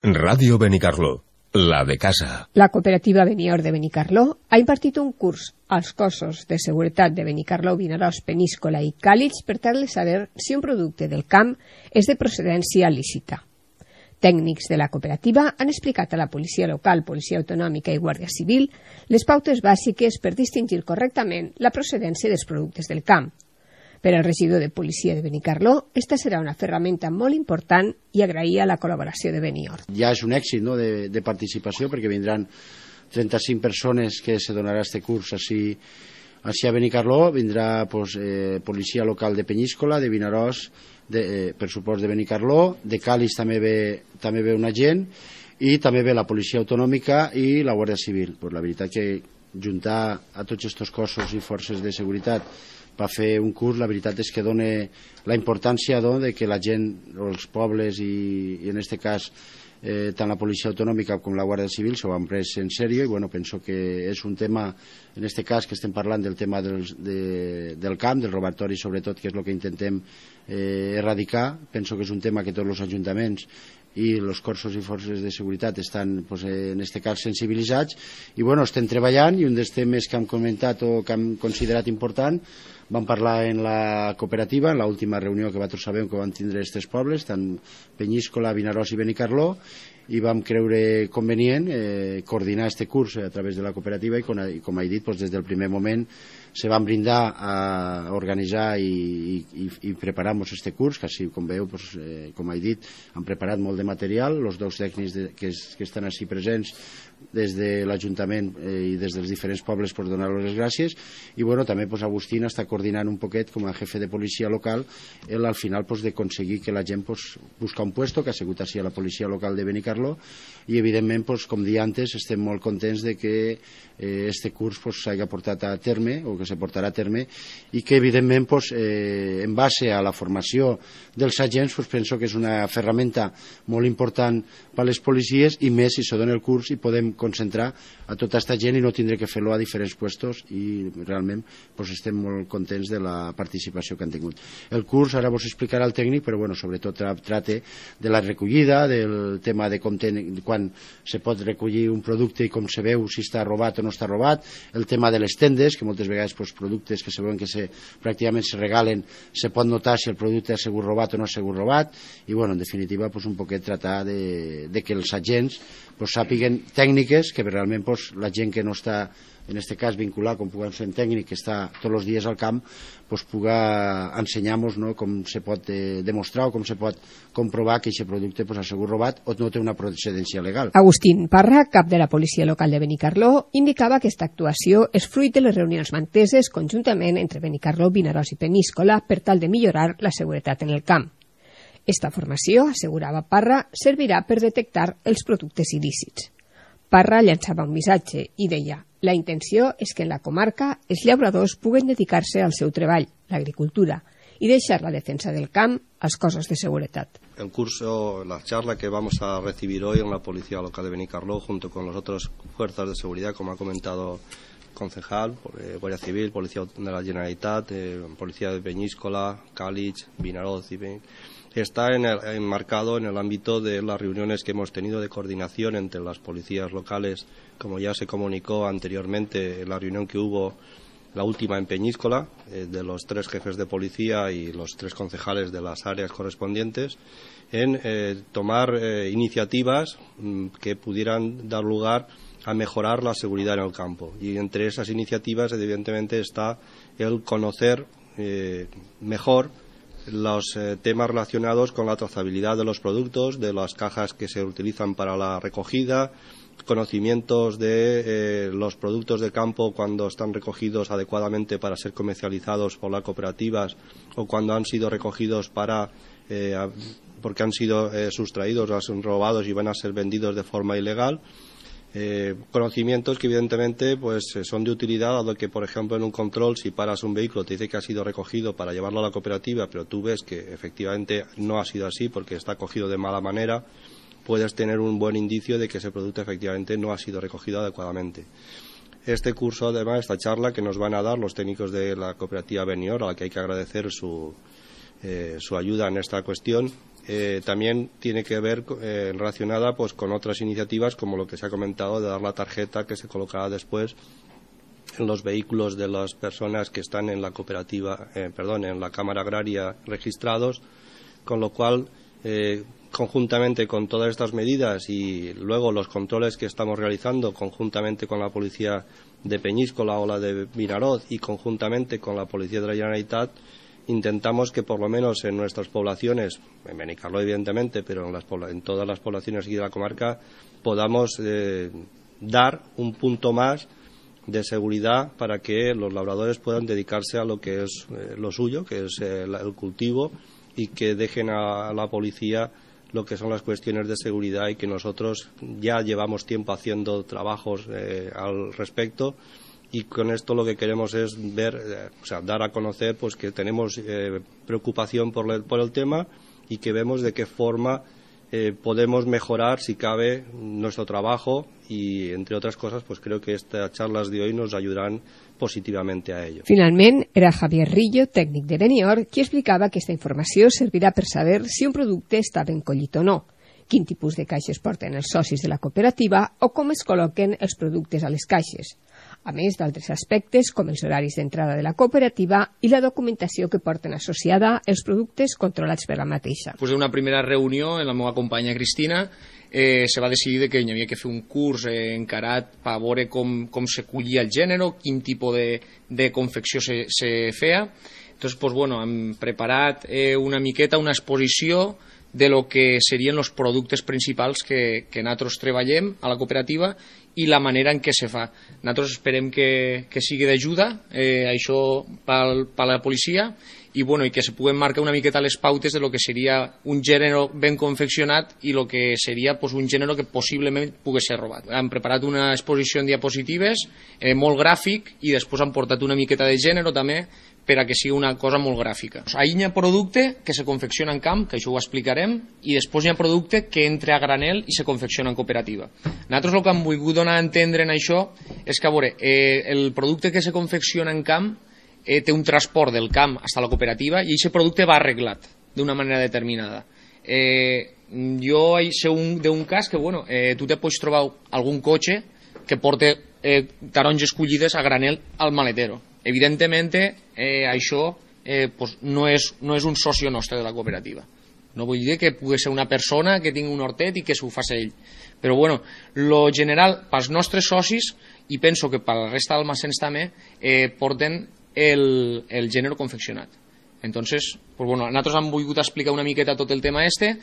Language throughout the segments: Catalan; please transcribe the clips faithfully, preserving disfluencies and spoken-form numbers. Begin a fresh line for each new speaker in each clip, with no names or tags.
Ràdio Benicarló, la de casa.
La cooperativa Benior de Benicarló ha impartit un curs als cossos de seguretat de Benicarló, Vinaròs, Peníscola i Càlig per tal de saber si un producte del camp és de procedència lícita. Tècnics de la cooperativa han explicat a la policia local, policia autonòmica i guàrdia civil les pautes bàsiques per distingir correctament la procedència dels productes del camp. Per al regidor de policia de Benicarló, esta serà una ferramenta molt important i agraïa la col·laboració de Benior.
Ja és un èxit, no?, de, de participació, perquè vindran trenta-cinc persones que se donarà este curs així, així a Benicarló. Vindrà pues, eh, policia local de Peníscola, de Vinaròs, de, eh, per supost de Benicarló, de Càlig també ve, també ve un agent, i també ve la policia autonòmica i la Guàrdia Civil. Pues, la veritat que juntar a tots aquests cossos i forces de seguretat per fer un curs, la veritat és que dona la importància no, de que la gent, els pobles i, i en aquest cas eh, tant la policia autonòmica com la Guàrdia Civil s'ho han pres en sèrio i bueno, penso que és un tema, en aquest cas que estem parlant del tema del, de, del camp, del robatori sobretot, que és el que intentem eh, erradicar. Penso que és un tema que tots els ajuntaments i els cossos i forces de seguretat estan, pues, en aquest cas, sensibilitzats i bueno, estem treballant i un dels temes que hem comentat o que hem considerat important vam parlar en la cooperativa, en l'última reunió que vosaltres sabeu que vam tindre aquests pobles, tant Peníscola, Vinaròs i Benicarló, i vam creure convenient eh, coordinar aquest curs a través de la cooperativa i com, i com he dit, doncs, des del primer moment se van brindar a organitzar i, i, i preparar-nos aquest curs, que així, com veieu, doncs, eh, com he dit, han preparat molt de material, els dos tècnics de, que, que estan així presents des de l'Ajuntament eh, i des dels diferents pobles per donar-los les gràcies i bueno, també pues, Agustín està coordinant un poquet com a jefe de policia local el, al final pues, d'aconseguir que la gent pues, busca un puesto, que ha sigut així a la policia local de Benicarló i evidentment, pues, com dia antes, estem molt contents de que eh, este curs s'hagi pues, portat a terme o que se portarà a terme i que evidentment pues, eh, en base a la formació dels agents pues, penso que és una ferramenta molt important per a les policies i més si se dona el curs i podem concentrar a tota aquesta gent i no tindre que fer-lo a diferents puestos i realment pues, estem molt contents de la participació que han tingut. El curs ara vos explicarà el tècnic, però bueno, sobretot tracta de la recollida, del tema de com ten, quan se pot recollir un producte i com se veu si està robat o no està robat, el tema de les tendes, que moltes vegades pues, productes que se veuen que se, pràcticament se regalen, se pot notar si el producte ha sigut robat o no ha sigut robat i bueno, en definitiva pues, un poquet tratar de, de que els agents pues, sàpiguen tècniques que realment pues, la gent que no està en aquest cas vinculat, com puguem ser un tècnic que està tots els dies al camp, pues, puga ensenyar-nos no, com se pot eh, demostrar o com se pot comprovar que aquest producte pues, ha sigut robat o no té una procedència legal.
Agustín Parra, cap de la policia local de Benicarló, indicava que aquesta actuació és fruit de les reunions manteses conjuntament entre Benicarló, Vinaròs i Peníscola per tal de millorar la seguretat en el camp. Esta formació, assegurava Parra, servirà per detectar els productes il·lícits. Parra llançava un missatge i deia: la intenció és que en la comarca els llauradors puguen dedicar-se al seu treball, l'agricultura, y deixar la defensa del camp als cossos de seguretat.
El curso, la charla que vamos a recibir hoy en la Policía Local de Benicarló, junto con las otras fuerzas de seguridad, como ha comentado el concejal, eh, Guardia Civil, Policía de la Generalitat, eh, Policía de Peníscola, Càlig, Vinaròs y Ben, está en el, enmarcado en el ámbito de las reuniones que hemos tenido de coordinación entre las policías locales, como ya se comunicó anteriormente en la reunión que hubo, la última en Peñíscola, eh, de los tres jefes de policía y los tres concejales de las áreas correspondientes, en eh, tomar eh, iniciativas mm, que pudieran dar lugar a mejorar la seguridad en el campo. Y entre esas iniciativas, evidentemente, está el conocer eh, mejor los eh, temas relacionados con la trazabilidad de los productos, de las cajas que se utilizan para la recogida, conocimientos de eh, los productos de campo cuando están recogidos adecuadamente para ser comercializados por las cooperativas o cuando han sido recogidos para eh, porque han sido eh, sustraídos o son robados y van a ser vendidos de forma ilegal. Eh, conocimientos que evidentemente pues son de utilidad, dado que por ejemplo en un control, si paras un vehículo te dice que ha sido recogido para llevarlo a la cooperativa, pero tú ves que efectivamente no ha sido así porque está cogido de mala manera, puedes tener un buen indicio de que ese producto efectivamente no ha sido recogido adecuadamente. Este curso, además, esta charla que nos van a dar los técnicos de la cooperativa Benior, a la que hay que agradecer su, eh, su ayuda en esta cuestión, eh, también tiene que ver eh, relacionada pues con otras iniciativas como lo que se ha comentado de dar la tarjeta que se colocará después en los vehículos de las personas que están en la cooperativa, eh, perdón, en la Cámara Agraria registrados, con lo cual eh, conjuntamente con todas estas medidas y luego los controles que estamos realizando conjuntamente con la policía de Peñíscola o la de Vinaroz y conjuntamente con la policía de la Generalitat, intentamos que por lo menos en nuestras poblaciones, en Benicarló evidentemente, pero en, las, en todas las poblaciones aquí de la comarca, podamos eh, dar un punto más de seguridad para que los labradores puedan dedicarse a lo que es eh, lo suyo, que es eh, el cultivo, y que dejen a la policía lo que son las cuestiones de seguridad, y que nosotros ya llevamos tiempo haciendo trabajos eh, al respecto, y con esto lo que queremos es ver, eh, o sea, dar a conocer pues que tenemos eh, preocupación por el, por el tema, y que vemos de qué forma eh, podemos mejorar, si cabe, nuestro trabajo, y entre otras cosas pues creo que estas charlas de hoy nos ayudarán positivamente a ello.
Finalment, era Javier Rillo, tècnic de Benior, qui explicava que aquesta informació servirà per saber si un producte està ben collit o no, quin tipus de caixes porten els socis de la cooperativa o com es col·loquen els productes a les caixes, a més d'altres aspectes com els horaris d'entrada de la cooperativa i la documentació que porten associada els productes controlats per la mateixa.
Després d'una primera reunió amb la meva companya Cristina, eh, se va decidir que hi havia que fer un curs eh, encarat per veure com, com se collia el gènere, quin tipus de, de confecció se, se feia. Entonces, pues, bueno, hem preparat eh, una miqueta una exposició de lo que serien els productes principals que, que nosaltres treballem a la cooperativa i la manera en què se fa. Nosaltres esperem que, que sigui d'ajuda, eh, això per, per la policia, i, bueno, i que se puguen marcar una miqueta les pautes de lo que seria un gènere ben confeccionat i lo que seria pues, un gènere que possiblement pugui ser robat. Hem preparat una exposició en diapositives, eh, molt gràfic, i després han portat una miqueta de gènere també, per a que sigui una cosa molt gràfica. Ahí hi ha producte que se confecciona en camp, que això ho explicarem, i després hi ha producte que entra a granel i se confecciona en cooperativa. Nosaltres el que hem volgut donar a entendre en això és que, a veure, eh, el producte que se confecciona en camp eh, té un transport del camp fins a la cooperativa i aquest producte va arreglat d'una manera determinada. Eh, jo sé d'un cas que, bueno, eh, tu te pots trobar algun cotxe que porta eh, taronges collides a granel al maletero. Evidentement, eh, això eh, pues no, és, no és un soci nostre de la cooperativa. No vull dir que pugui ser una persona que tingui un hortet i que s'ho faci ell. Però, bueno, lo general, pels nostres socis, i penso que per la resta d'almacens també, eh, porten el, el gènere confeccionat. Entonces, pues bueno, nosaltres hem volgut explicar una miqueta tot el tema este,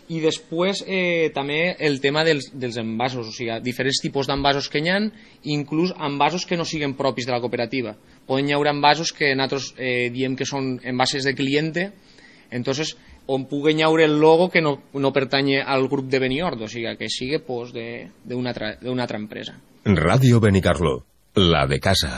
i després eh, també el tema dels, dels envasos, o sigui, diferents tipus d'envasos que hi ha, inclús envasos que no siguin propis de la cooperativa. Poden hi haure envasos que nosaltres eh, diem que són envases de cliente, entonces, on pugui haure el logo que no, no pertany al grup de Beniord, o sigui, que sigui pues, d'una altra, altra empresa.
Ràdio Benicarló, la de casa.